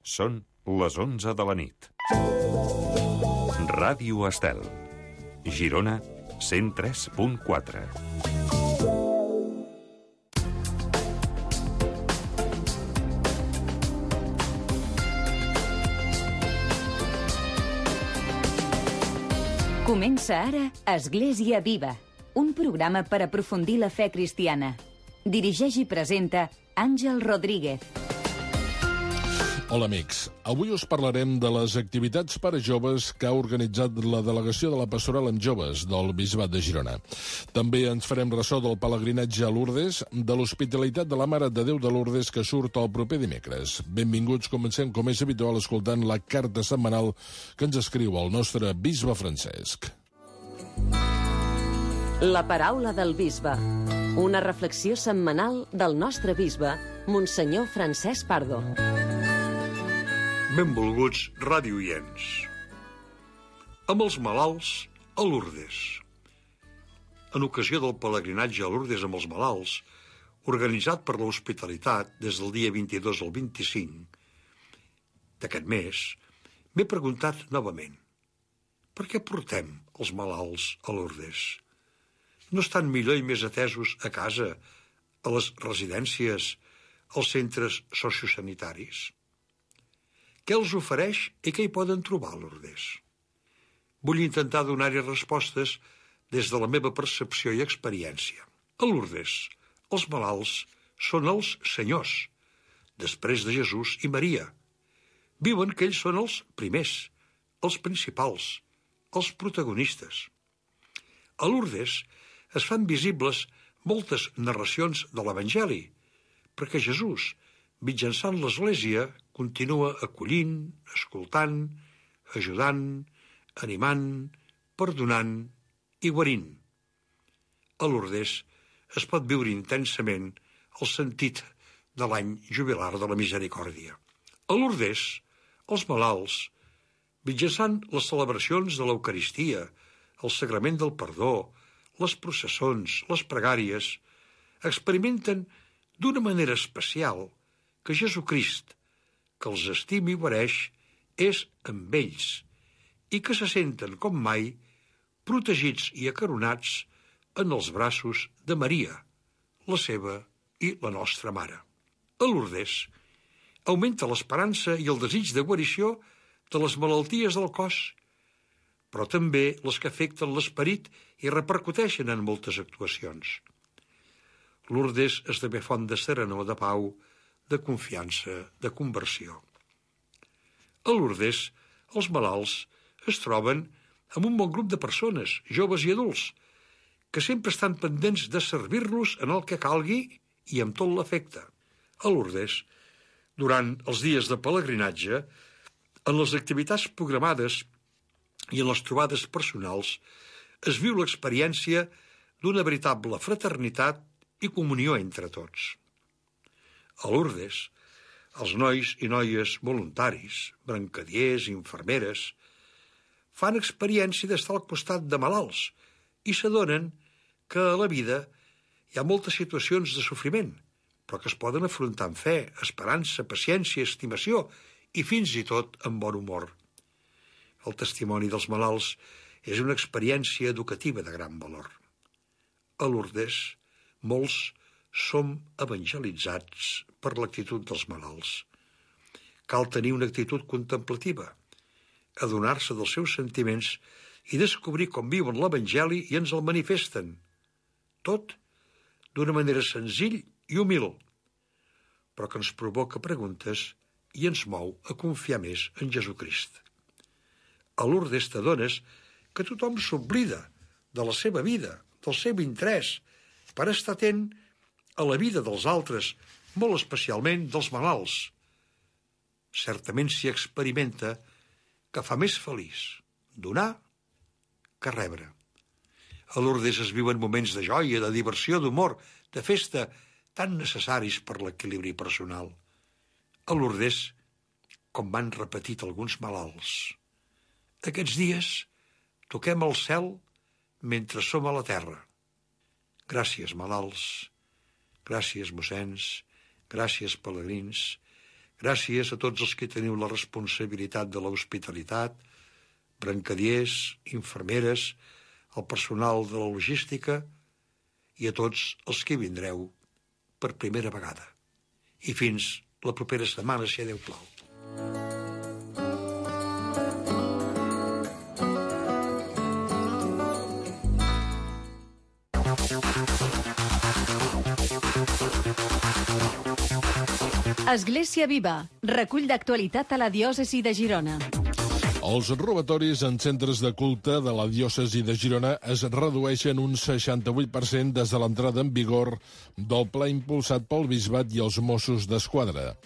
Són les 11 de la nit. Ràdio Estel. Girona, 103.4. Comença ara Església Viva, un programa per aprofundir la fe cristiana. Dirigeix i presenta Àngel Rodríguez. Hola, amics. Avui us parlarem de les activitats per a joves que ha organitzat la Delegació de la Pastoral amb Joves del Bisbat de Girona. També ens farem ressò del pelegrinatge a Lourdes, de l'Hospitalitat de la Mare de Déu de Lourdes que surt el proper dimecres. Benvinguts, comencem com és habitual escoltant la carta setmanal que ens escriu el nostre bisbe Francesc. La paraula del bisbe. Una reflexió setmanal del nostre bisbe, Monsenyor Francesc Pardo. Benvolguts radioients. Amb els malalts a Lourdes. En ocasió del pelegrinatge a Lourdes amb els malalts, organitzat per l'Hospitalitat des del dia 22 al 25 d'aquest mes, m'he preguntat novament: per què portem els malalts a Lourdes? No estan millor i més atesos a casa, a les residències, als centres sociosanitaris? Què els ofereix i què hi poden trobar a Lourdes? Vull intentar donar-hi respostes des de la meva percepció i experiència. A Lourdes, els malalts són els senyors, després de Jesús i Maria. Viuen que ells són els primers, els principals, els protagonistes. A Lourdes es fan visibles moltes narracions de l'Evangeli, perquè Jesús, mitjançant l'Església, continua acollint, escoltant, ajudant, animant, perdonant i guarint. A Lourdes es pot viure intensament el sentit de l'any jubilar de la misericòrdia. A Lourdes, els malalts, mitjançant les celebracions de l'Eucaristia, el sagrament del perdó, les processons, les pregàries, experimenten d'una manera especial que Jesucrist, que els estima i guareix, és amb ells i que se senten com mai protegits i acaronats en els braços de Maria, la seva i la nostra mare. A Lourdes augmenta l'esperança i el desig de guarició de les malalties del cos, però també les que afecten l'esperit i repercuteixen en moltes actuacions. Lourdes esdevé font de serenor, de pau, de confiança, de conversió. A Lourdes, els malalts es troben amb un bon grup de persones, joves i adults, que sempre estan pendents de servir-los en el que calgui i amb tot l'afecte. A Lourdes, durant els dies de pelegrinatge, en les activitats programades i en les trobades personals, es viu l'experiència d'una veritable fraternitat i comunió entre tots. A Lourdes, els nois i noies voluntaris, brancadiers i infermeres, fan experiència d'estar al costat de malalts i s'adonen que a la vida hi ha moltes situacions de sofriment, però que es poden afrontar amb fe, esperança, paciència, estimació i fins i tot amb bon humor. El testimoni dels malalts és una experiència educativa de gran valor. A Lourdes, molts som evangelitzats per l'actitud dels malalts. Cal tenir una actitud contemplativa, adonar-se dels seus sentiments i descobrir com viuen l'Evangeli i ens el manifesten. Tot d'una manera senzill i humil, però que ens provoca preguntes i ens mou a confiar més en Jesucrist. A Lourdes t'adones que tothom s'oblida de la seva vida, del seu interès, per estar atent a la vida dels altres, molt especialment dels malalts. Certament s'hi experimenta que fa més feliç donar que rebre. A Lourdes es viuen moments de joia, de diversió, d'humor, de festa, tan necessaris per l'equilibri personal. A Lourdes, com m'han repetit alguns malalts, aquests dies toquem el cel mentre som a la terra. Gràcies, malalts, gràcies, mossens, gràcies, pelegrins, Gràcies a tots els que teniu la responsabilitat de l'hospitalitat, brancadiers, infermeres, el personal de la logística i a tots els que vindreu per primera vegada. I fins la propera setmana, si Déu plau. Església Viva, recull d'actualitat a la diòcesi de Girona. Els robatoris en centres de culte de la diòcesi de Girona es redueixen un 68% des de l'entrada en vigor del pla impulsat pel Bisbat i els Mossos d'Esquadra.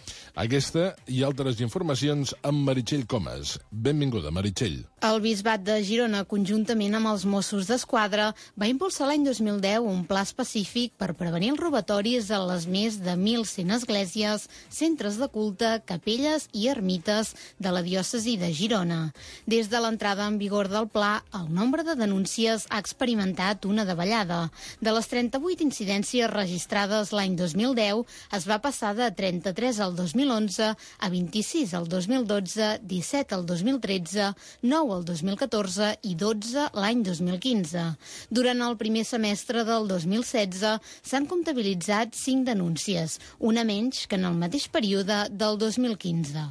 Aquesta i altres informacions amb Meritxell Comas. Benvinguda, Meritxell. El Bisbat de Girona, conjuntament amb els Mossos d'Esquadra, va impulsar l'any 2010 un pla específic per prevenir els robatoris a les més de 1.100 esglésies, centres de culte, capelles i ermites de la diòcesi de Girona. Des de l'entrada en vigor del pla, el nombre de denúncies ha experimentat una davallada. De les 38 incidències registrades l'any 2010, es va passar de 33 al 2011 a 26 al 2012, 17 al 2013, 9 al 2014 i 12 l'any 2015. Durant el primer semestre del 2016 s'han comptabilitzat 5 denúncies, una menys que en el mateix període del 2015.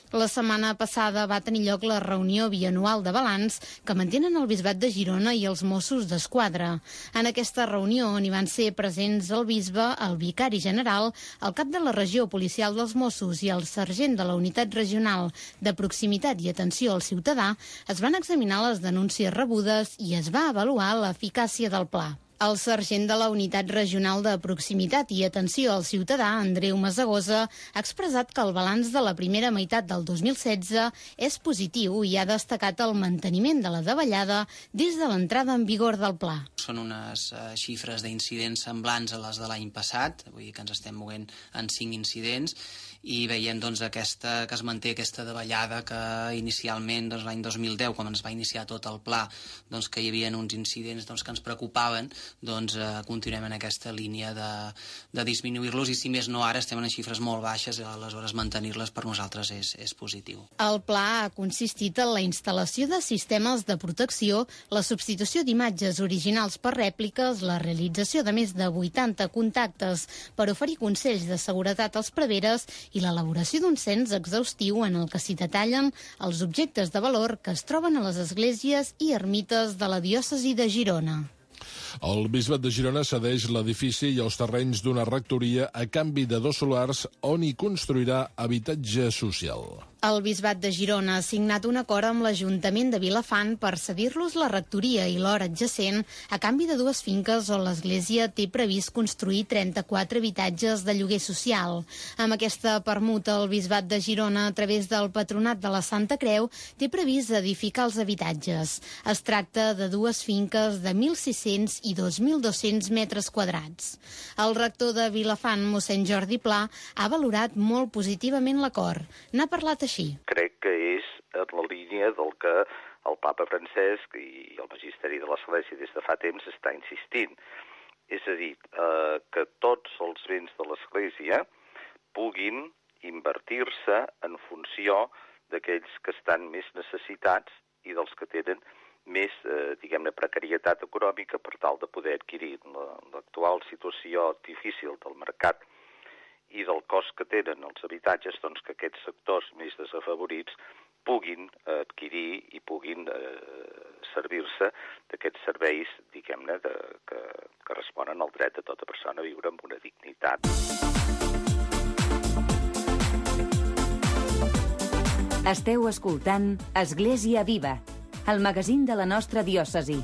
La setmana passada va tenir lloc la reunió bianual de balanç que mantenen el Bisbat de Girona i els Mossos d'Esquadra. En aquesta reunió hi van ser presents el bisbe, el vicari general, el cap de la regió policial dels Mossos i el sergent de la unitat regional de proximitat i atenció al ciutadà. Es van examinar les denúncies rebudes i es va avaluar l'eficàcia del pla. El sergent de la Unitat Regional de Proximitat i Atenció al Ciutadà, Andreu Masagosa, ha expressat que el balanç de la primera meitat del 2016 és positiu i ha destacat el manteniment de la davallada des de l'entrada en vigor del pla. Són unes xifres d'incidents semblants a les de l'any passat, vull dir que ens estem movent en 5 incidents, i veiem doncs, que es manté aquesta davallada que inicialment l'any 2010, quan es va iniciar tot el pla, doncs, que hi havia uns incidents que ens preocupaven, doncs continuem en aquesta línia de disminuir-los i si més no ara estem en xifres molt baixes, aleshores mantenir-les per nosaltres és positiu. El pla ha consistit en la instal·lació de sistemes de protecció, la substitució d'imatges originals per rèpliques, la realització de més de 80 contactes per oferir consells de seguretat als preveres i l'elaboració d'un cens exhaustiu en el que s'hi detallen els objectes de valor que es troben a les esglésies i ermites de la diòcesi de Girona. El Bisbat de Girona cedeix l'edifici i els terrenys d'una rectoria a canvi de 2 solars on hi construirà habitatge social. El Bisbat de Girona ha signat un acord amb l'Ajuntament de Vilafant per cedir-los la rectoria i l'hora adjacent a canvi de 2 finques on l'Església té previst construir 34 habitatges de lloguer social. Amb aquesta permuta, el Bisbat de Girona, a través del Patronat de la Santa Creu, té previst edificar els habitatges. Es tracta de 2 finques de 1.600 i 2.200 metres quadrats. El rector de Vilafant, mossèn Jordi Pla, ha valorat molt positivament l'acord. N'ha parlat així. Crec que és en la línia del que el papa Francesc i el magisteri de l'Església des de fa temps està insistint. És a dir, que tots els béns de l'Església puguin invertir-se en funció d'aquells que estan més necessitats i dels que tenen més, diguem-ne, precarietat econòmica per tal de poder adquirir. L'actual situació difícil del mercat i del cost que tenen els habitatges, doncs que aquests sectors més desafavorits puguin adquirir i puguin servir-se d'aquests serveis, diguem-ne, que responen al dret de tota persona a viure amb una dignitat. Esteu escoltant Església Viva, el magazín de la nostra diòcesi.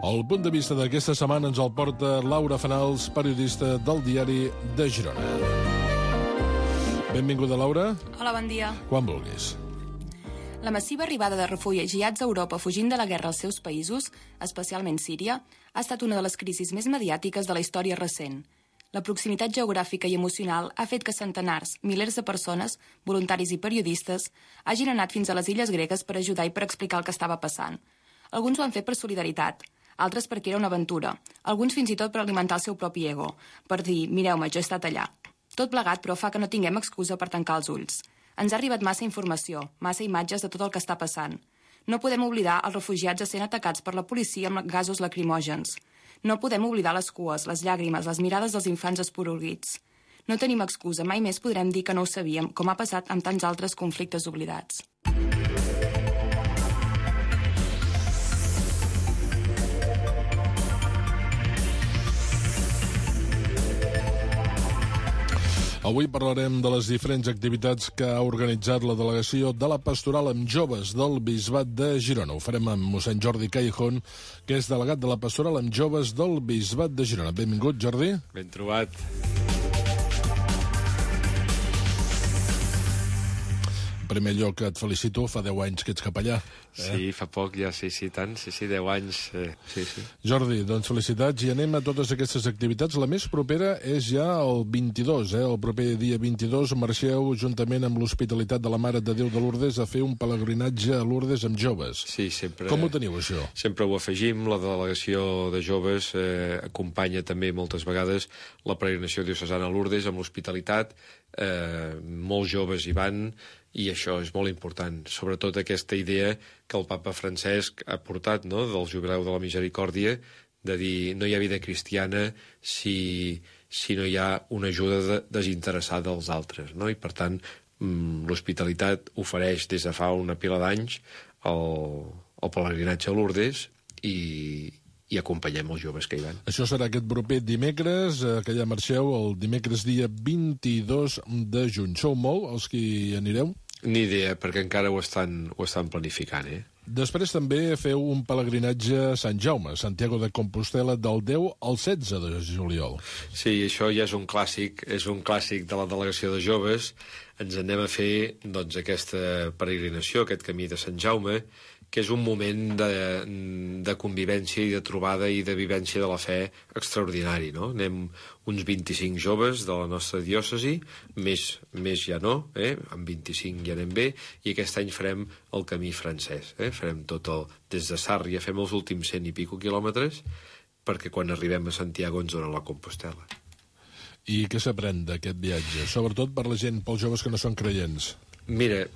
El punt de vista d'aquesta setmana ens el porta Laura Fanals, periodista del Diari de Girona. Benvinguda, Laura. Hola, bon dia. Quan vulguis. La massiva arribada de refugiats a Europa fugint de la guerra als seus països, especialment Síria, ha estat una de les crisis més mediàtiques de la història recent. La proximitat geogràfica i emocional ha fet que centenars, milers de persones, voluntaris i periodistes, hagin anat fins a les illes gregues per ajudar i per explicar el que estava passant. Alguns ho han fet per solidaritat, altres perquè era una aventura, alguns fins i tot per alimentar el seu propi ego, per dir, mireu-me, jo he estat allà. Tot plegat, però, fa que no tinguem excusa per tancar els ulls. Ens ha arribat massa informació, massa imatges de tot el que està passant. No podem oblidar els refugiats essent atacats per la policia amb gasos lacrimògens. No podem oblidar les cues, les llàgrimes, les mirades dels infants esporuguits. No tenim excusa, mai més podrem dir que no ho sabíem, com ha passat amb tants altres conflictes oblidats. Avui parlarem de les diferents activitats que ha organitzat la delegació de la Pastoral amb Joves del Bisbat de Girona. Ho farem amb mossèn Jordi Callejón, que és delegat de la Pastoral amb Joves del Bisbat de Girona. Benvingut, Jordi. Ben trobat. En primer lloc, et felicito, fa 10 anys que ets capellà. Sí, fa poc ja, sí, tant, 10 anys, sí. Jordi, doncs felicitats, i anem a totes aquestes activitats. La més propera és ja el 22, el proper dia 22 marxeu juntament amb l'Hospitalitat de la Mare de Déu de Lourdes a fer un pelegrinatge a Lourdes amb joves. Sí, sempre. Com ho teniu, això? Sempre ho afegim, la delegació de joves acompanya també moltes vegades la peregrinació diocesana a Lourdes amb l'Hospitalitat, molts joves hi van, i això és molt important, sobretot aquesta idea que el papa Francesc ha portat, no?, del jubileu de la misericòrdia, de dir no hi ha vida cristiana si no hi ha una ajuda desinteressada als altres, no? I per tant l'Hospitalitat ofereix des de fa una pila d'anys el pelegrinatge a Lourdes i acompanyem els joves que hi van. Això serà aquest proper dimecres, que ja marxeu el dimecres dia 22 de juny. Sou molt els que hi anireu? Ni idea, perquè encara ho estan planificant, Després també feu un pelegrinatge a Sant Jaume, Santiago de Compostela, del 10 al 16 de juliol. Sí, això ja és un clàssic de la delegació de joves. Ens anem a fer, doncs, aquesta peregrinació, aquest camí de Sant Jaume, que és un moment de convivència i de trobada i de vivència de la fe extraordinari, no? Anem uns 25 joves de la nostra diòcesi, més ja no, amb 25 ja anem bé, i aquest any farem el camí francès, farem tot des de Sàrria, fem els últims 100 i pico quilòmetres, perquè quan arribem a Santiago ens donen la Compostela. I què s'aprèn d'aquest viatge? Sobretot per la gent, pels joves que no són creients. Mira,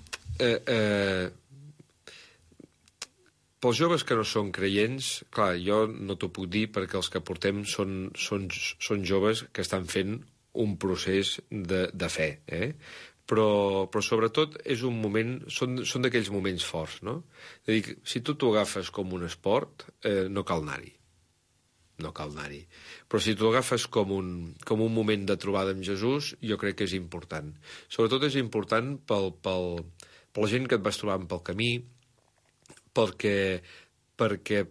pels joves que no són creients, clar, jo no t'ho puc dir perquè els que portem són joves que estan fent un procés de fe, Però sobretot és un moment, són d'aquells moments forts, no? És a dir, si tu t'ho agafes com un esport, no cal anar-hi. Però si t'ho agafes com un moment de trobada amb Jesús, jo crec que és important. Sobretot és important per la gent que et vas trobant pel camí, perquè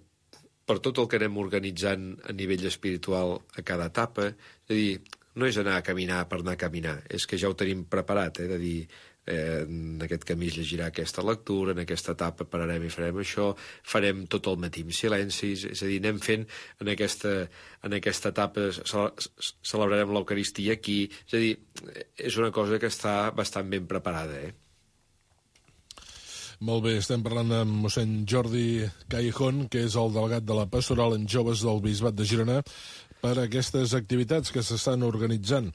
per tot el que anem organitzant a nivell espiritual a cada etapa, és a dir, no és anar a caminar per anar a caminar, és que ja ho tenim preparat, de dir, en aquest camí es llegirà aquesta lectura, en aquesta etapa pararem i farem això, farem tot el matí en silenci, és a dir, anem fent en aquesta etapa, celebrarem l'Eucaristia aquí, és a dir, és una cosa que està bastant ben preparada, Molt bé, estem parlant amb mossèn Jordi Callejón, que és el delegat de la Pastoral en Joves del Bisbat de Girona, per aquestes activitats que s'estan organitzant.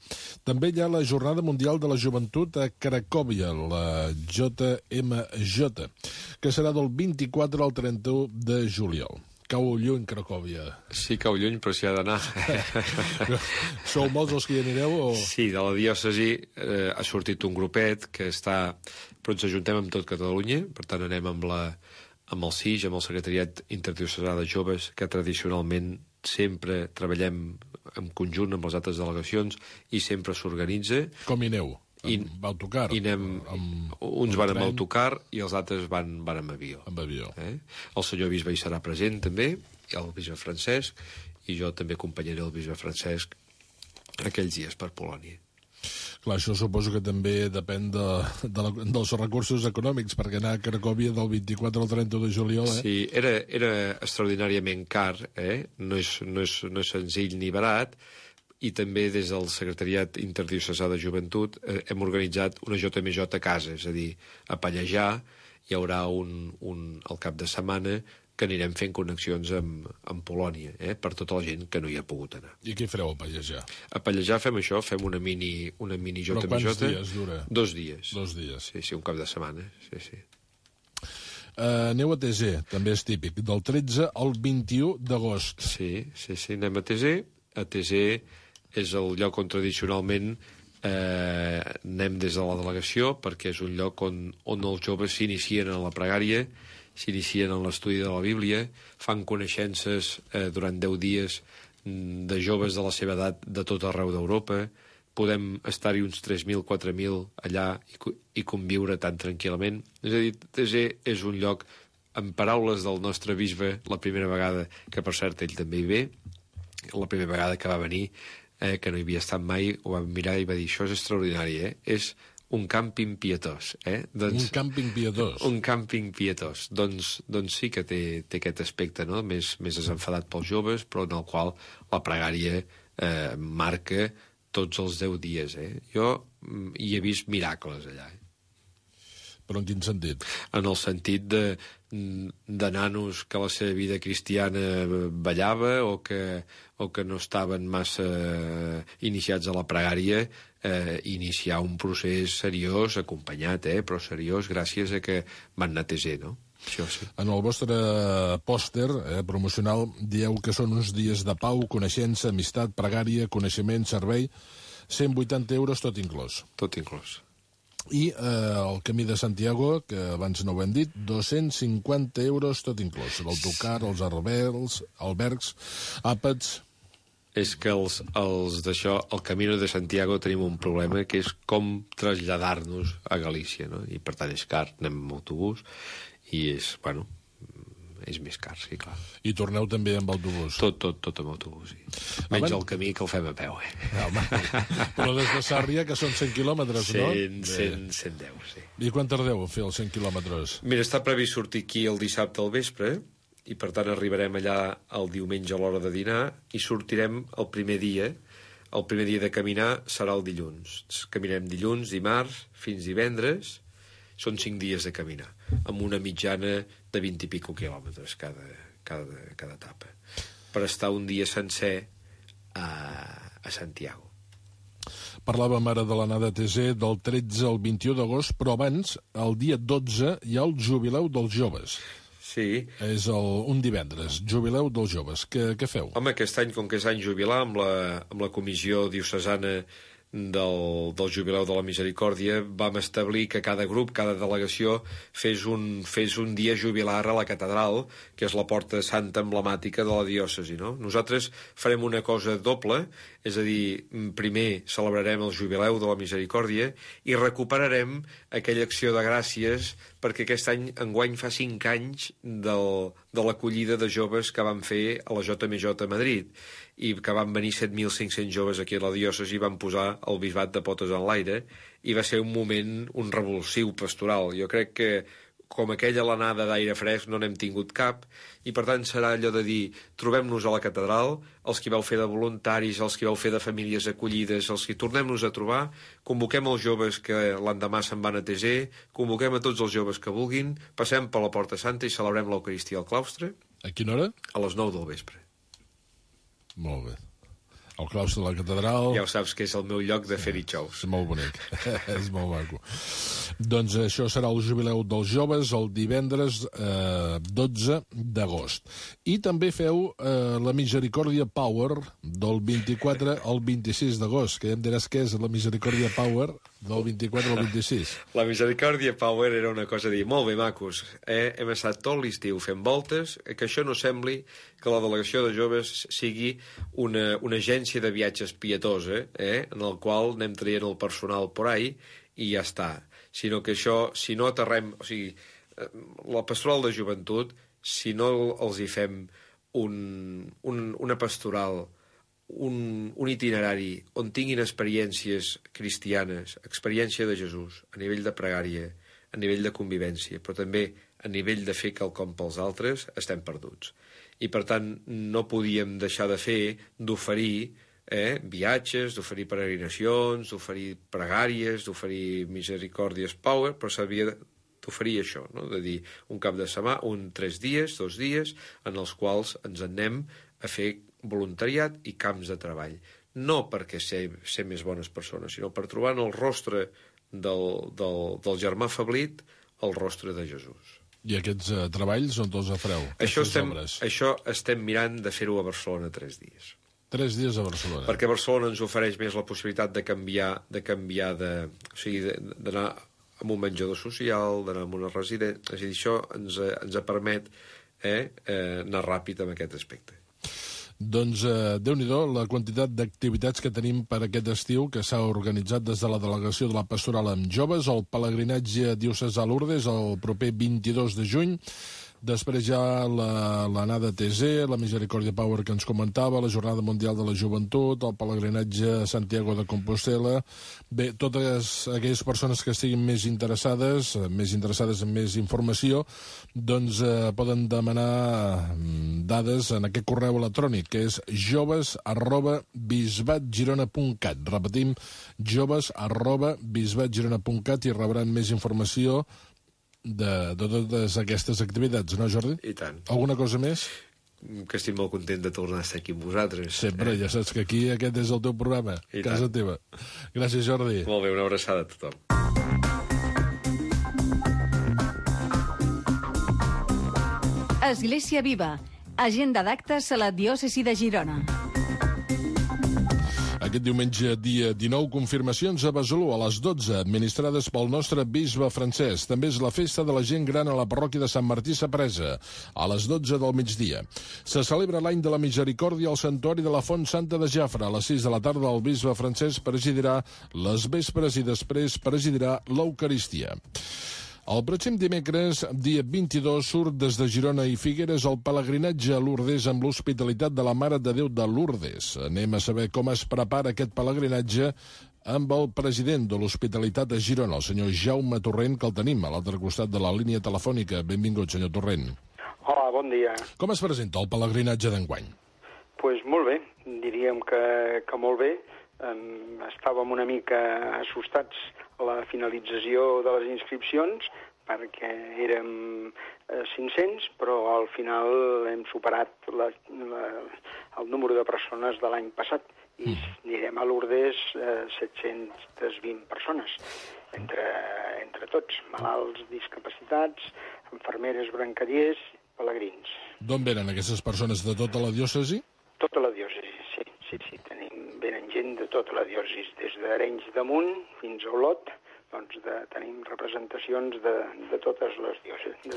També hi ha la Jornada Mundial de la Joventut a Cracòvia, la JMJ, que serà del 24 al 31 de juliol. Cau lluny, Cracòvia. Sí, cau lluny, però s'hi ha d'anar. Sou molts els que hi anireu? O... Sí, de la diòcesi ha sortit un grupet que està... Però ens ajuntem amb tot Catalunya, per tant anem amb el CIJ, amb el Secretariat Interdiocesà de Joves, que tradicionalment sempre treballem en conjunt amb les altres delegacions i sempre s'organitza. Com hi aneu? Amb autocar? Uns van amb autocar i els altres van amb avió. Amb avió. El senyor bisbe hi serà present també, el bisbe Francesc, i jo també acompanyaré el bisbe Francesc aquells dies per Polònia. Clar, això suposo que també depèn dels recursos econòmics, perquè anar a Cracòvia del 24 al 30 de juliol... Sí, era extraordinàriament car, no és senzill ni barat, i també des del Secretariat Interdiocesà de Joventut hem organitzat una JMJ a casa, és a dir, a Pallejà hi haurà al cap de setmana que anirem fent connexions amb Polònia, per tota la gent que no hi ha pogut anar. I què fareu a Pallejà? A Pallejà fem això, fem una mini JMJ. Però quants dies dura? 2 dies. 2 dies. Sí, un cap de setmana, sí. Aneu a Tezer, també és típic, del 13 al 21 d'agost. Sí, anem a Tezer. A Tezer és el lloc on tradicionalment anem des de la delegació, perquè és un lloc on els joves s'inicien en la pregària, s'inicien en l'estudi de la Bíblia, fan coneixences durant 10 dies de joves de la seva edat de tot arreu d'Europa, podem estar-hi uns 3.000, 4.000 allà i conviure tan tranquil·lament. És a dir, Tezer és un lloc, en paraules del nostre bisbe, la primera vegada, que per cert ell també hi ve, la primera vegada que va venir, que no hi havia estat mai, ho va mirar i va dir, això és extraordinari, és un càmping pietós. Un càmping pietós. Un càmping pietós. Doncs sí que té aquest aspecte, no? Més desenfadat pels joves, però en el qual la pregària marca tots els 10 dies. Jo hi he vist miracles allà. Però en quin sentit? En el sentit de nanos que la seva vida cristiana ballava o que no estaven massa iniciats a la pregària, iniciar un procés seriós, acompanyat, però seriós, gràcies a que van anar a Tezer, no? Això sí. En el vostre pòster promocional dieu que són uns dies de pau, coneixença, amistat, pregària, coneixement, servei, 180 euros tot inclòs. Tot inclòs. I el Camí de Santiago, que abans no ho hem dit, 250 euros tot inclòs. L'autocar, els albergs, àpats... És que els d'això, el Camino de Santiago, tenim un problema, que és com traslladar-nos a Galícia, no? I per tant és car, anem amb autobús, i és més car, sí, clar. I torneu també amb autobús? Tot amb autobús, sí. Menys el camí que el fem a peu, Home, però des de Sàrria, que són 100 quilòmetres, no? 110, sí. I quan tardeu a fer els 100 quilòmetres? Mira, està previst sortir aquí el dissabte al vespre, i per tant arribarem allà el diumenge a l'hora de dinar i sortirem el primer dia. El primer dia de caminar serà el dilluns. Caminarem dilluns, dimarts, fins divendres. Són 5 dies de caminar, amb una mitjana de 20 i pico quilòmetres cada etapa, per estar un dia sencer a Santiago. Parlàvem ara de l'anada a Tezer del 13 al 21 d'agost, però abans, el dia 12, hi ha el Jubileu dels Joves. Sí. És un divendres, Jubileu dels Joves. Què feu? Home, aquest any, com que és any jubilar, amb la comissió diocesana del Jubileu de la Misericòrdia, vam establir que cada grup, cada delegació, fes un dia jubilar a la catedral, que és la porta santa emblemàtica de la diòcesi, no? Nosaltres farem una cosa doble, és a dir, primer celebrarem el Jubileu de la Misericòrdia i recuperarem aquella acció de gràcies, perquè aquest any, enguany, fa 5 anys de l'acollida de joves que van fer a la JMJ a Madrid, i que van venir 7.500 joves aquí a la diòcesi i van posar el bisbat de potes en l'aire, i va ser un moment, un revulsiu pastoral. Jo crec que, com aquella l'anada d'aire fresc, no n'hem tingut cap, i per tant serà allò de dir, trobem-nos a la catedral, els que vau fer de voluntaris, els que vau fer de famílies acollides, els que tornem-nos a trobar, convoquem els joves que l'endemà se'n van a Tezer, convoquem a tots els joves que vulguin, passem per la Porta Santa i celebrem l'Eucaristia al claustre. A quina hora? A les 9 del vespre. Molt bé. El claustre de la catedral... Ja ho saps que és el meu lloc de fer-hi xous. És molt bonic, és molt maco. Doncs això serà el Jubileu dels Joves el divendres 12 d'agost. I també feu la Misericòrdia Power del 24 al 26 d'agost, que ja em diràs què és la Misericòrdia Power del 24 al 26. La Misericòrdia Power era una cosa a dir, molt bé, macos, hem estat tot l'estiu fent voltes, que això no sembli que la delegació de joves sigui una agència de viatges pietosa, en el qual anem traient el personal por ahí i ja està. Sinó que això, si no aterrem... O sigui, la pastoral de joventut, si no els hi fem una pastoral un itinerari on tinguin experiències cristianes, experiència de Jesús, a nivell de pregària, a nivell de convivència, però també a nivell de fer quelcom pels altres, estem perduts. I, per tant, no podíem deixar de fer, d'oferir viatges, d'oferir peregrinacions, d'oferir pregàries, d'oferir Misericòrdies Power, però s'havia d'oferir això, no? De dir un cap de setmana, 3 dies, 2 dies, en els quals ens anem a fer voluntariat i camps de treball. No perquè ser més bones persones, sinó per trobar en el rostre del germà afeblit el rostre de Jesús. I aquests treballs on els fareu? Això estem mirant de fer-ho a Barcelona 3 dies. 3 dies a Barcelona. Perquè Barcelona ens ofereix més la possibilitat de canviar o sigui, d'anar a un menjador social, d'anar a una residència. És a dir, això ens permet anar ràpid en aquest aspecte. Doncs, Déu-n'hi-do, la quantitat d'activitats que tenim per aquest estiu, que s'ha organitzat des de la delegació de la Pastoral amb joves, el pelegrinatge diocesà a Lourdes el proper 22 de juny, després ja l'anada a TZ, la Misericòrdia Power que ens comentava, la Jornada Mundial de la Joventut, el pelegrinatge a Santiago de Compostela. Bé, totes aquelles persones que estiguin més interessades en més informació, doncs poden demanar dades en aquest correu electrònic, que és joves@bisbatgirona.cat. Repetim, joves@bisbatgirona.cat, i rebran més informació de totes aquestes activitats, no, Jordi? I tant. Alguna cosa més? Que estic molt content de tornar a estar aquí amb vosaltres. Sempre, ja saps que aquí aquest és el teu programa, casa teva. Gràcies, Jordi. Molt bé, una abraçada a tothom. Església Viva, agenda d'actes a la diòcesi de Girona. Aquest diumenge, dia 19, confirmacions a Besalú a les 12, administrades pel nostre bisbe Francesc. També és la festa de la gent gran a la parròquia de Sant Martí Sapresa, a les 12 del migdia. Se celebra l'any de la Misericòrdia al Santuari de la Font Santa de Jafre. A les 6 de la tarda el bisbe Francesc presidirà les vespres i després presidirà l'Eucaristia. El pròxim dimecres, dia 22, surt des de Girona i Figueres el pelegrinatge a Lourdes amb l'Hospitalitat de la Mare de Déu de Lourdes. Anem a saber com es prepara aquest pelegrinatge amb el president de l'Hospitalitat a Girona, el senyor Jaume Torrent, que el tenim a l'altre costat de la línia telefònica. Benvingut, senyor Torrent. Hola, bon dia. Com es presenta el pelegrinatge d'enguany? Pues molt bé, diríem que molt bé. Estàvem una mica assustats a la finalització de les inscripcions perquè érem 500, però al final hem superat el número de persones de l'any passat i anirem a Lourdes 720 persones, entre tots, malalts, discapacitats, infermeres, brancallers, pelegrins. D'on venen aquestes persones? De tota la diòcesi? Tota la diòcesi, sí. Venen gent de tota la diòcesi, des d'Arenys de Munt fins a Olot, doncs tenim representacions de totes les diòcesis, de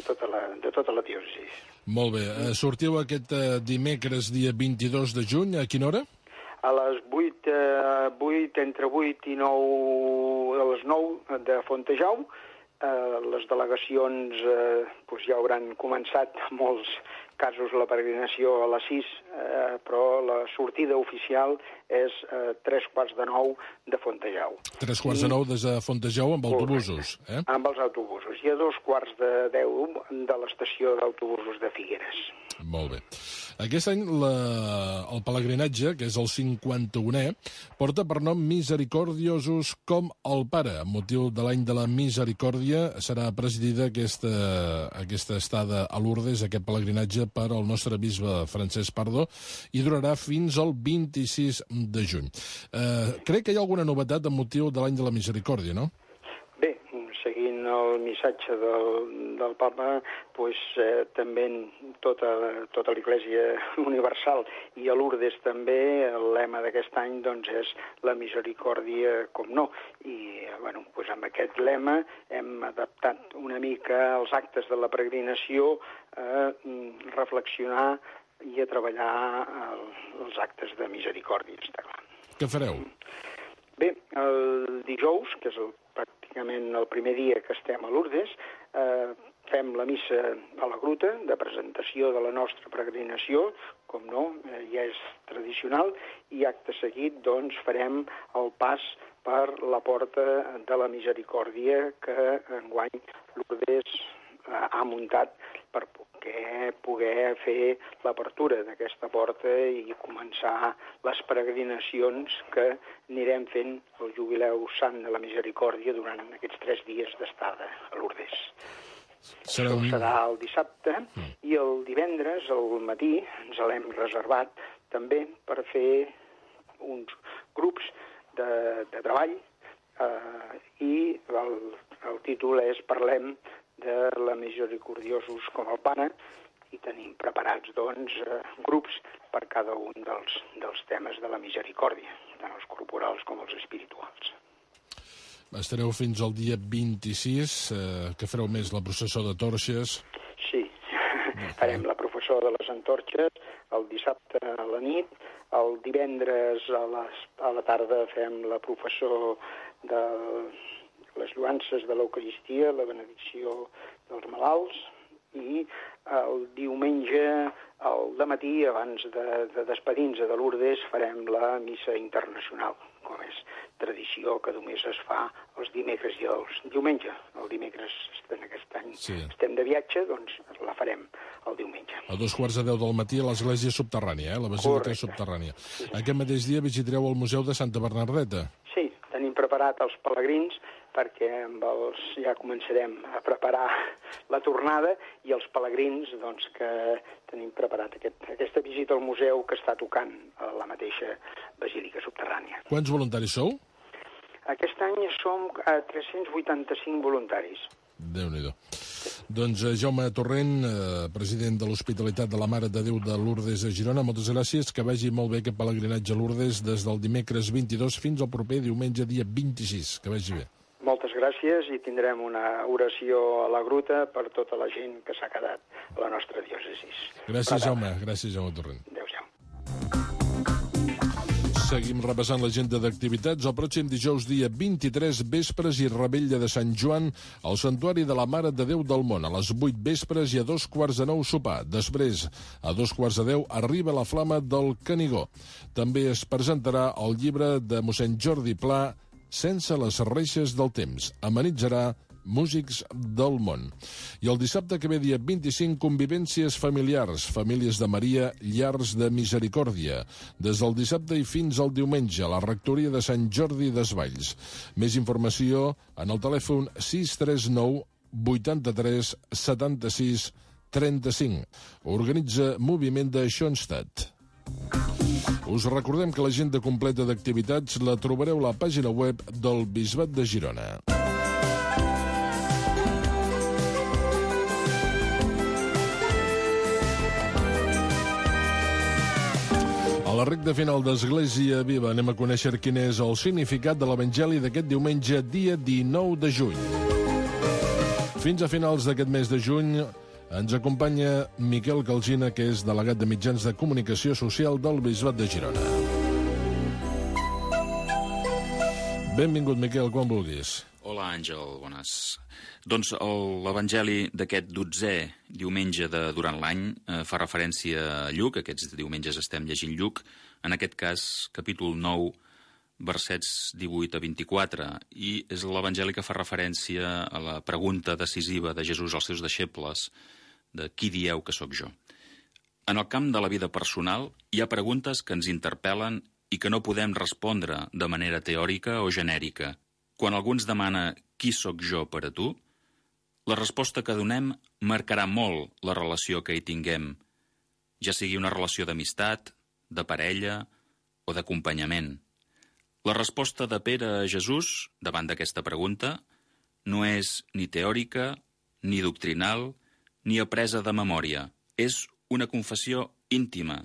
tota la diòcesi. Molt bé. Sortiu aquest dimecres, dia 22 de juny, a quina hora? A les 8, entre 8 i 9, a les 9 de Fontejau. Les delegacions ja hauran començat en molts casos la peregrinació a les 6, però la sortida oficial és 8:45 de Fontejau. 8:45 des de Fontejau amb autobusos, eh? Amb els autobusos. I a 9:45 de l'estació d'autobusos de Figueres. Molt bé. Aquest any el pelegrinatge, que és el 51è, porta per nom Misericordiosus com el Pare. Amb motiu de l'any de la Misericòrdia serà presidida aquesta estada a Lourdes, aquest pelegrinatge per al nostre bisbe Francesc Pardo, i durarà fins al 26 de juny. Crec que hi ha alguna novetat amb motiu de l'any de la Misericòrdia, no? Bé, seguint el missatge del papa, també tota l'Església Universal i a Lourdes també el lema d'aquest any és la misericòrdia com no. I amb aquest lema hem adaptat una mica els actes de la peregrinació a reflexionar i a treballar els actes de misericòrdia, està clar. Què fareu? Bé, el dijous, que és pràcticament el primer dia que estem a Lourdes, fem la missa a la gruta, de presentació de la nostra peregrinació, com no, ja és tradicional, i acte seguit doncs farem el pas per la Porta de la Misericòrdia que enguany Lourdes ha muntat per poder fer l'apertura d'aquesta porta i començar les peregrinacions que anirem fent el Jubileu Sant de la Misericòrdia durant aquests 3 dies d'estada a Lourdes. Això serà el dissabte i el divendres al matí ens l'hem reservat també per fer uns grups de treball i el títol és Parlem de la Misericordiosos com el Pane i tenim preparats doncs grups per cada un dels temes de la misericòrdia, tant els corporals com els espirituals. Estareu fins al dia 26, que fareu més la processó de torxes. Sí, farem la processó de les antorxes el dissabte a la nit, el divendres a la tarda fem la processó de les lluances de l'Eucaristia, la benedicció dels malalts, i el diumenge al dematí, abans de despedir-nos de Lourdes, farem la missa internacional, com és tradició que només es fa els dimecres i els diumenge. El dimecres, en aquest any, estem de viatge, doncs la farem el diumenge. A 2:15 del matí a l'església subterrània, la basílica subterrània. Aquest mateix dia visitareu el Museu de Santa Bernadeta. Sí, tenim preparat els pelegrins perquè amb ja començarem a preparar la tornada i els pelegrins doncs, que tenim preparat aquesta visita al museu que està tocant a la mateixa basílica subterrània. Quants voluntaris sou? Aquest any som 385 voluntaris. Déu-n'hi-do. Doncs Jaume Torrent, president de l'Hospitalitat de la Mare de Déu de Lourdes a Girona, moltes gràcies, que vagi molt bé aquest pelegrinatge a Lourdes des del dimecres 22 fins al proper diumenge dia 26, que vagi bé. Moltes gràcies i tindrem una oració a la gruta per tota la gent que s'ha quedat a la nostra diòcesi. Gràcies, Jaume. Gràcies, Jaume Torrent. Adéu-siau. Seguim repassant l'agenda d'activitats. El pròxim dijous, dia 23, vespres i revetlla de Sant Joan al Santuari de la Mare de Déu del Món. A les 8 vespres i a 8:45 sopar. Després, a 9:15, arriba la Flama del Canigó. També es presentarà el llibre de mossèn Jordi Pla, Sense les reixes del temps. Amenitzarà Músics del Món. I el dissabte que ve, dia 25, convivències familiars, famílies de Maria, llars de misericòrdia, des del dissabte i fins al diumenge, a la rectoria de Sant Jordi Desvalls. Més informació en el telèfon 639 83 76 35. Organitza Moviment de Schoenstatt. Us recordem que l'agenda completa d'activitats la trobareu a la pàgina web del Bisbat de Girona. A la recta final d'Església Viva anem a conèixer quin és el significat de l'Evangeli d'aquest diumenge, dia 19 de juny. Fins a finals d'aquest mes de juny ens acompanya Miquel Calgina, que és delegat de Mitjans de Comunicació Social del Bisbat de Girona. Benvingut, Miquel, quan vulguis. Hola, Àngel, bones. Doncs l'Evangeli d'aquest 12è diumenge durant l'any fa referència a Lluc. Aquests diumenges estem llegint Lluc, en aquest cas capítol 9, versets 18 a 24, i és l'Evangeli que fa referència a la pregunta decisiva de Jesús als seus deixebles, de qui dieu que sóc jo. En el camp de la vida personal hi ha preguntes que ens interpel·len i que no podem respondre de manera teòrica o genèrica. Quan algú ens demana qui sóc jo per a tu, la resposta que donem marcarà molt la relació que hi tinguem, ja sigui una relació d'amistat, de parella o d'acompanyament. La resposta de Pere a Jesús davant d'aquesta pregunta no és ni teòrica, ni doctrinal, ni apresa de memòria. És una confessió íntima,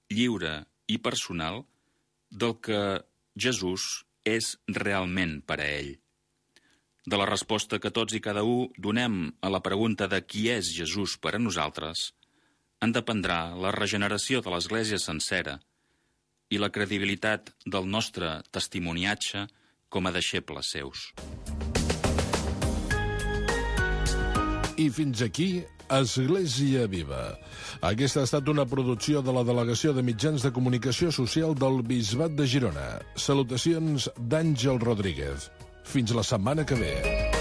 lliure i personal del que Jesús és realment per a ell. De la resposta que tots i cada un donem a la pregunta de qui és Jesús per a nosaltres, en dependrà la regeneració de l'Església sencera i la credibilitat del nostre testimoniatge com a deixebles seus. I fins aquí, Església Viva. Aquesta ha estat una producció de la Delegació de Mitjans de Comunicació Social del Bisbat de Girona. Salutacions d'Àngel Rodríguez. Fins la setmana que ve.